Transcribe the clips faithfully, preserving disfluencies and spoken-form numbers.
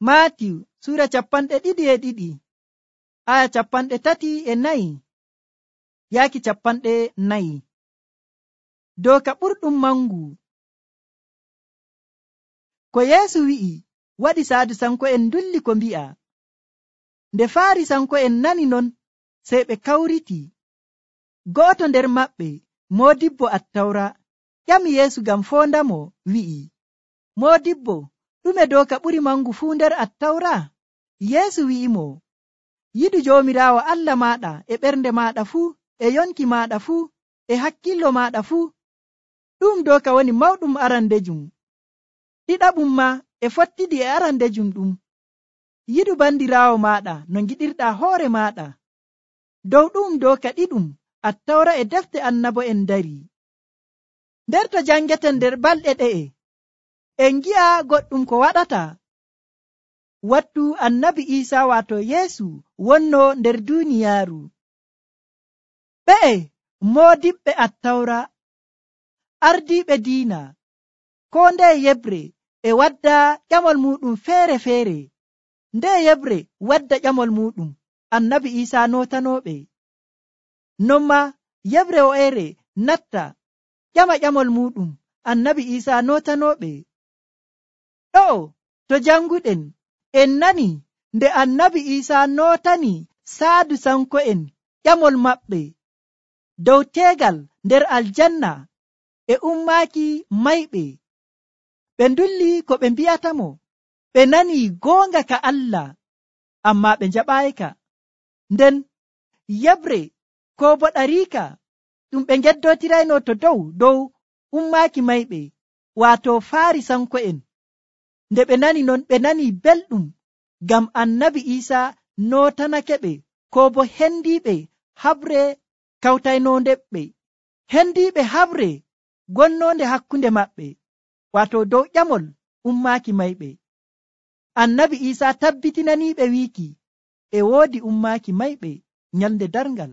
Maatiw sura capanɗe ɗiɗi e ɗiɗi aya capanɗe tati e nayi yaaki capanɗe nayi. Doka ɓurɗum mangu. Ko Yeesu wi'i waɗi Sadusanko'en ndulli ko mbi'a. Nde Faarisanko'en nani non, sey ɓe kawriti. Go'oto nder maɓɓe, moodibbo Attawra, ƴami Yeesu ngam foondamo, wi'i, Moodibbo, ɗume doka ɓuri mangu fuu nder Attawra? Yeesu wi'imo, yiɗu Joomiraawo Allah maaɗa e ɓernde maaɗa fuu, e yonki maaɗa fuu, e hakkillo maaɗa fuu. Ɗum doka woni mawɗum arandejum. Ɗiɗaɓum ma e fottidi e arandejum ɗum. Yiɗu bandiraawo maaɗa no ngiɗirɗaa hoore maaɗa. Dow ɗum doka ɗiɗum Attawra e defte annabo'en dari. Nder to jangeten nder balɗe ɗe'e, en ngi'a goɗɗum ko waɗata wattu annabi Iisaa waato Yeesu wonno nder duuniyaaru. Ɓe'e moodiɓɓe Attawra, ardiiɓe diina, koo ndeye yebre e wadda ƴamol muɗum feere-feere. Nde yebre wadda ƴamol muɗum, annabi Iisaa nootanooɓe. Non ma yebre wo'ere natta ƴama ƴamol muɗum, annabi Iisaa nootanooɓe. Ɗo'o to janguɗen en nani nde annabi Iisaa nootani Saadusanko'en ƴamol maɓɓe dow teegal nder aljanna e ummaaki mayɓe. Ɓe ndulli ko ɓe mbi'atamo. Ɓe nani goonga ka Allah, ammaa ɓe njaɓaayika. Nden yebre ko bo ɗariika ɗum ɓe ngeddotirayno to dow dow ummaaki mayɓe, waato Faarisanko'en. Nde ɓe nani non, ɓe nani belɗum ngam annabi Iisaa nootanakeɓe ko bo hendiiɓe habre kawtaynondeɓe, hendiiɓe habre gonnonde hakkunde maɓɓe, waato dow ƴamol ummaaki mayɓe. Annabi Iisaa tabbitinaniiɓe wiiki e woodi ummaaki mayɓe nyalnde darngal.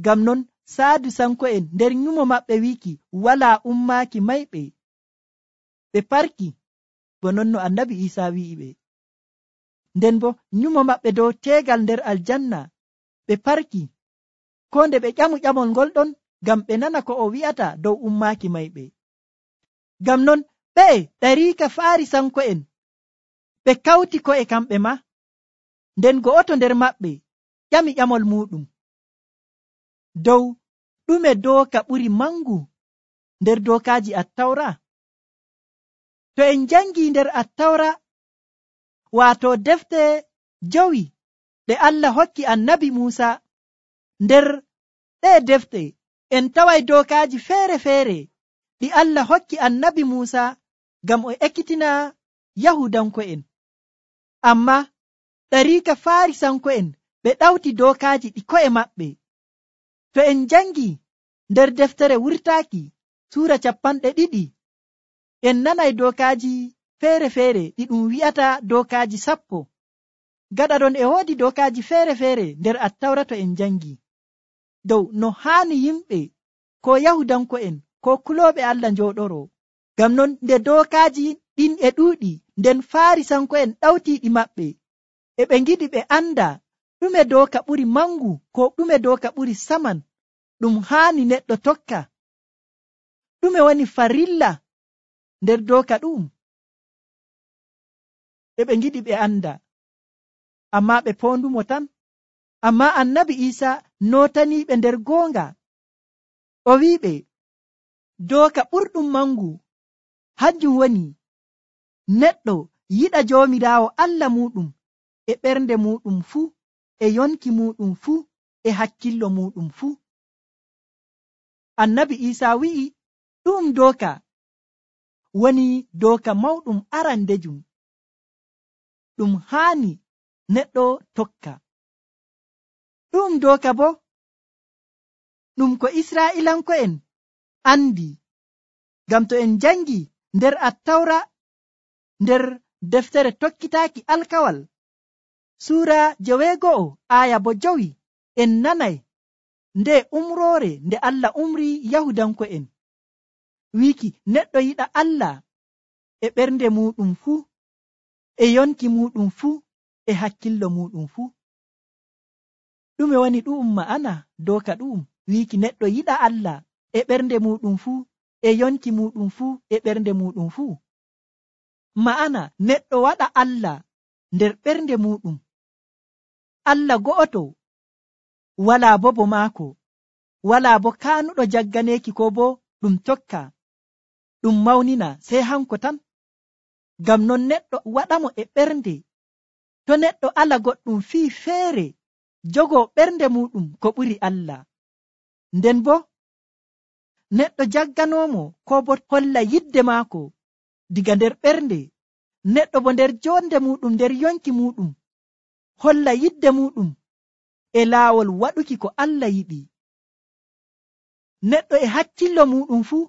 Ngam non Saadusanko'en nder nyumo maɓɓe wiiki walaa ummaaki mayɓe. Ɓe parki bo non no annabi Iisaa wi'i ɓe. Nden bo nyumo maɓɓe dow teegal nder aljanna ɓe parki, ko nde ɓe ƴamu ƴamol ngol ɗon ngam ɓe nana ko o wi'ata dow ummaaki mayɓe. Ngam non ɓe'e ɗariika Faarisanko'en ɓe kawti ko'e kamɓe ma. Nden go'oto nder maɓɓe ƴami ƴamol muɗum dow ɗume dooka ɓuri mangu nder dookaaji Attawra. To en jangi nder Attawra, waato defte jowi ɗe Allah hokki annabi Muusa, nder ɗee defte en taway dookaaji feere-feere ɗi Allah hokki annabi Muusa ngam o ekkitina Yahudanko'en. Ammaa ɗariika Faarisanko'en ɓe ɗawti dookaaji ɗi ko'e maɓɓe. To en jangi nder deftere wurtaaki suura capanɗe ɗiɗi, en nanay dookaaji feere-feere ɗi ɗum wi'ata dookaaji sappo. Gaɗa ɗon e woodi dookaaji feere-feere nder Attawra to en jangi dow no haani yimɓe ko Yahudanko'en ko kulooɓe Allah njooɗoro. Ngam non nde dookaaji ɗin e ɗuuɗi, nden Faarisanko'en ɗawtiiɗi maɓɓe, e ɓe ngiɗi ɓe anda ɗume dooka ɓuri mangu ko ɗume dooka ɓuri saman ɗum haani neɗɗo tokka. Ɗume woni farilla nder dooka ɗum? E ɓe ngiɗi ɓe anda, ammaa ɓe poondumo tan. Ammaa annabi Iisaa nootaniiɓe nder goonga. O wi'iɓe dooka ɓurɗum mangu hanjum woni neɗɗo yiɗa Joomiraawo Allah muɗum e ɓernde muɗum fuu, e yonki muɗum fuu, e hakkillo muɗum fuu. Annabi Iisaa wi'i ɗum dooka woni dooka mawɗum arandejum ɗum haani neɗɗo tokka. Ɗum dooka bo ɗum ko Israa'ilanko'en andi. Ngam to en jangi nder Attawra, nder deftere tokkitaaki alkawal suura joweego'o aya bo jowi, en nanay nde umroore nde Allah umri Yahudanko'en, wiiki neɗɗo yiɗa Allah e ɓernde muɗum fuu, e yonki muɗum fuu e hakkillo muɗum fuu. Ɗume woni ɗu'um ma'ana doka ɗu'um wiiki neɗɗo yiɗa Allah e ɓernde muɗum fuu e yonki muɗum fuu e ɓernde muɗum fuu? Ma'ana neɗɗo waɗa Allah nder ɓernde muɗum, Allah go'oto, walaa bo bo maako, walaa bo kaanuɗo jagganeeki ko bo ɗum tokka ɗum mawnina sey hanko tan. Ngam non neɗɗo waɗamo e ɓernde. To neɗɗo ala goɗɗum fii feere jogoo ɓernde muɗum ko ɓuri Allah, nden bo neɗɗo jagganoomo ko bo holla yidde maako diga nder ɓernde, neɗɗo bo nder jonde muɗum nder yonki muɗum holla yidde muɗum e laawol waɗuki ko Allah yiɗi. Neɗɗo e hakkillo muɗum fuu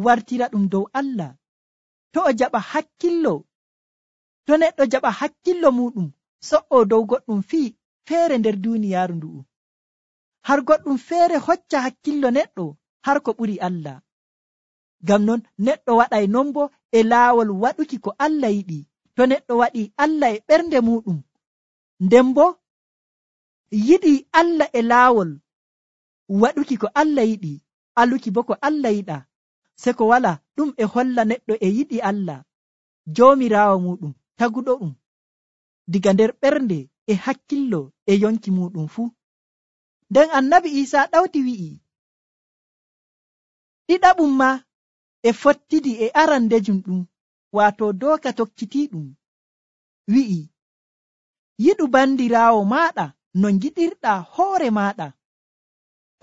wartira ɗum dow Allah. To o jaɓa hakkillo, to neɗɗo jaɓa hakkillo muɗum so'o dow goɗɗum fii feere nder duuniyaaru ndu'u, har goɗɗum feere hocca hakkillo neɗɗo har ko ɓuri Allah. Ngam non neɗɗo waɗay non bo e laawol waɗuki ko Allah yiɗi. To neɗɗo waɗi Allah e ɓernde muɗum, nden bo yiɗi Allah e laawol waɗuki ko Allah yiɗi, aluki bo ko Allah yiɗa, se ko wala ɗum e holla neɗɗo e yiɗi Allah joomiraawo muɗum taguɗo ɗum diga nder ɓernde e hakkillo e yonki muɗum fuu. Nden annabi Iisaa ɗawti wi'i ɗiɗaɓum ma e fottidi e arandejum ɗum, waato dooka tokkitiiɗum, wi'i yiɗu bandiraawo maaɗa no ngiɗirɗaa hoore maaɗa.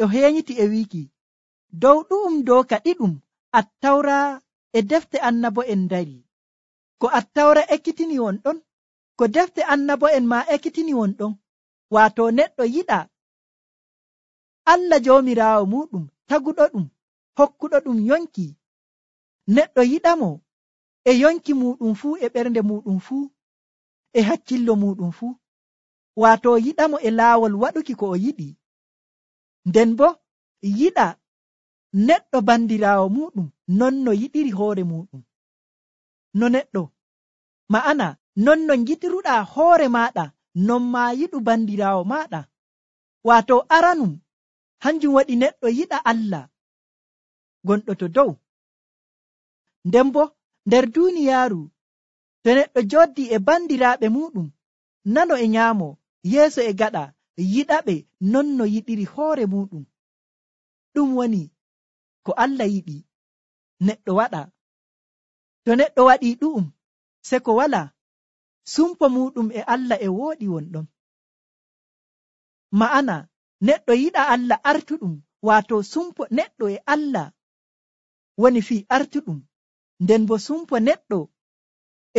O heeñiti e wiiki dow ɗu'um dooka ɗiɗum Attawra e defte annabo'en dari. Ko Attawra ekkitini won ɗon, ko defte annabo'en ma ekkitini won ɗon, waato neɗɗo yiɗa Allah joomiraawo muɗum taguɗo ɗum, hokkuɗo ɗum yonki. Neɗɗo yiɗamo e yonki muɗum fuu e ɓernde muɗum fuu e hakkillo muɗum fuu, waato yiɗamo e laawol waɗuki ko o yiɗi. Nden bo yiɗa neɗɗo bandiraawo muɗum non no yiɗiri hoore muɗum. No neɗɗo ma'ana non no ngiɗiruɗaa hoore maaɗa non ma yiɗu bandiraawo maaɗa. Waato aranum hanjum waɗi neɗɗo yiɗa Allah gonɗo to dow. Nden bo nder duuniyaaru to neɗɗo jooɗi e bandiraaɓe muɗum, nano e nyaamo, yeeso e gaɗa, yiɗaɓe non no yiɗiri hoore muɗum. Ɗum woni ko Allah yiɗi neɗɗo waɗa. To neɗɗo waɗi ɗu'um se ko wala sumpo muɗum e Allah e wooɗi wonɗon. Ma'ana neɗɗo yiɗa Allah artuɗum, waato sumpo neɗɗo e Allah woni fii artuɗum, nden bo sumpo neɗɗo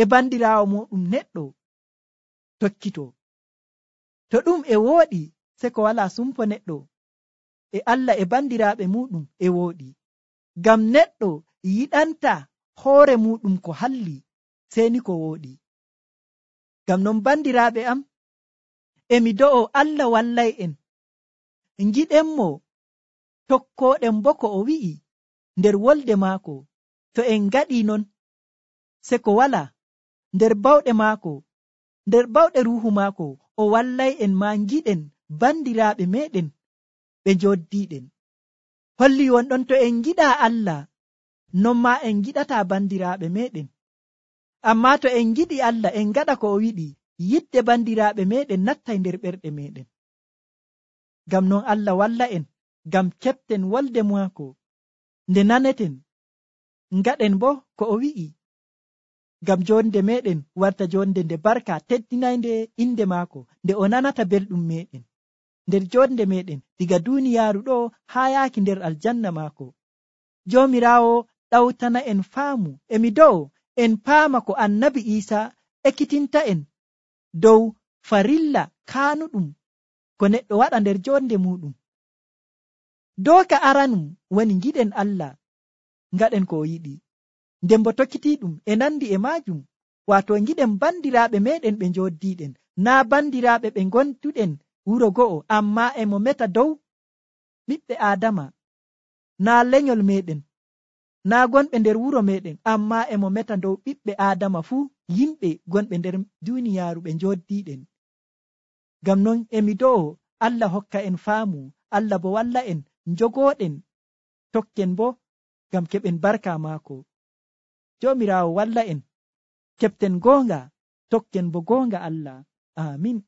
e bandiraawo muɗum neɗɗo tokkito. To ɗum e wooɗi se ko wala sumpo neɗɗo e Allah e bandiraaɓe muɗum e wooɗi. Ngam neɗɗo yiɗanta hoore muɗum ko halli seni ko wooɗi. Ngam non bandiraaɓe am, emi do'o Allah wallay en ngiɗenmo tokkoɗen bo ko o wi'i nder wolde maako. To en ngaɗi non se ko wala nder bawɗe maako, nder bawɗe ruuhu maako, o wallay en ma ngiɗen bandiraaɓe meɗen ɓe joddiɗen. Holli wonɗon to en giɗa Allah non ma en giɗata bandiraaɓe meɗen. Amma to en giɗi Allah en gaɗa ko o wiɗi, yidde bandiraaɓe meɗen nattay nder ɓerɗe meɗen. Ngam non Allah walla en ngam keɓten wolde maako nde naneten, ngaɗen bo ko o wi'i, ngam jonde meɗen warta jonde nde barka teddinaynde inde maako, nde o nanata belɗum meɗen nder jonde meɗen diga duniyaaru ɗo haa yaaki nder aljanna maako. Joomiraawo ɗawtana en faamu, emi do'o en paama ko annabi Iisaa ekkitinta en dow farilla kaanuɗum ko neɗɗo waɗa nder jonde muɗum. Dooka aranum woni giɗen Allah, ngaɗen ko o yiɗi, nden bo tokkitiɗum e nandi e maajum, waato giɗen bandiraaɓe meɗen ɓe njoddiɗen, naa bandiraaɓe ɓe gonduɗen wuro go'o, amma e mo meta dow ɓiɓɓe Aadama, naa lenyol meɗen. naa gonɓe nder wuro meɗen amma emo meta dow ɓiɓɓe adama fuu, yimɓe gonɓe nder duniyaaru ɓe njoddiɗen. Ngam non emi do'o Allah hokka en faamu, Allah bo walla en njogoɗen tokken bo ngam keɓen barka maako. Joomiraawo walla en keɓten goonga, tokken bo goonga Allah. Amin.